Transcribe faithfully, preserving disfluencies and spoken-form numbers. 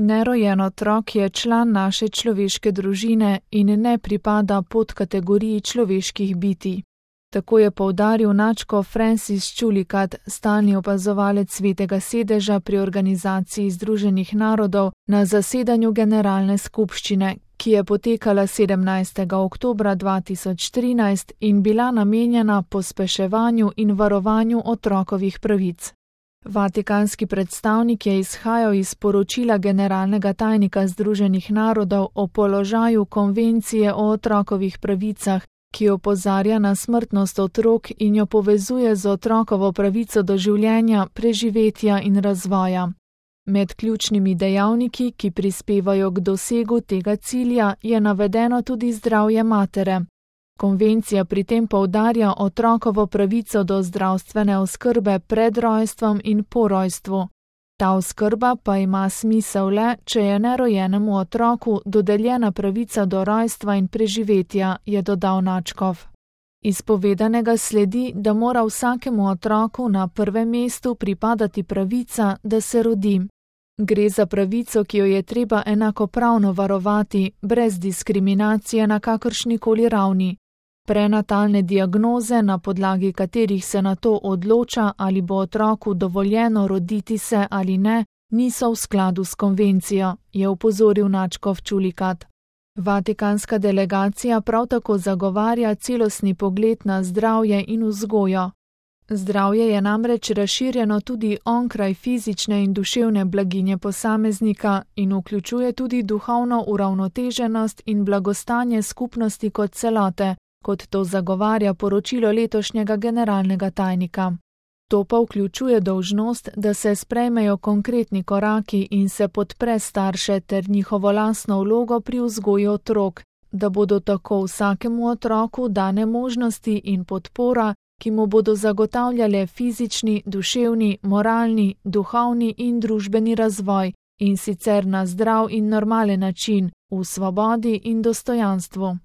Nerojen otrok je član naše človeške družine in ne pripada pod kategoriji človeških bitij. Tako je poudaril nadškof Francis Chulikat, stalni opazovalec Svetega sedeža pri Organizaciji združenih narodov na zasedanju Generalne skupščine, ki je potekala sedemnajstega oktobra dva tisoč trinajst in bila namenjena pospeševanju in varovanju otrokovih pravic. Vatikanski predstavnik je izhajal iz poročila generalnega tajnika Združenih narodov o položaju konvencije o otrokovih pravicah, ki opozarja na smrtnost otrok in jo povezuje z otrokovo pravico do življenja, preživetja in razvoja. Med ključnimi dejavniki, ki prispevajo k dosegu tega cilja, je navedeno tudi zdravje matere. Konvencija pri tem poudarja otrokovo pravico do zdravstvene oskrbe pred rojstvom in po rojstvu. Ta oskrba pa ima smisel le, če je nerojenemu otroku dodeljena pravica do rojstva in preživetja, je dodal nadškof. Iz povedanega sledi, da mora vsakemu otroku na prvem mestu pripadati pravica, da se rodi. Gre za pravico, ki jo je treba enakopravno varovati, brez diskriminacije na kakršnikoli ravni. Prenatalne diagnoze, na podlagi katerih se na to odloča, ali bo otroku dovoljeno roditi se ali ne, niso v skladu s konvencijo, je opozoril nadškof Chulikat. Vatikanska delegacija prav tako zagovarja celostni pogled na zdravje in vzgojo. Zdravje je namreč razširjeno tudi onkraj fizične in duševne blaginje posameznika in vključuje tudi duhovno uravnoteženost in blagostanje skupnosti kot celote, kot to zagovarja poročilo letošnjega generalnega tajnika. To pa vključuje dolžnost, da se sprejmejo konkretni koraki in se podpre starše ter njihovo lastno vlogo pri vzgoji otrok, da bodo tako vsakemu otroku dane možnosti in podpora, ki mu bodo zagotavljale fizični, duševni, moralni, duhovni in družbeni razvoj, in sicer na zdrav in normalen način, v svobodi in dostojanstvu.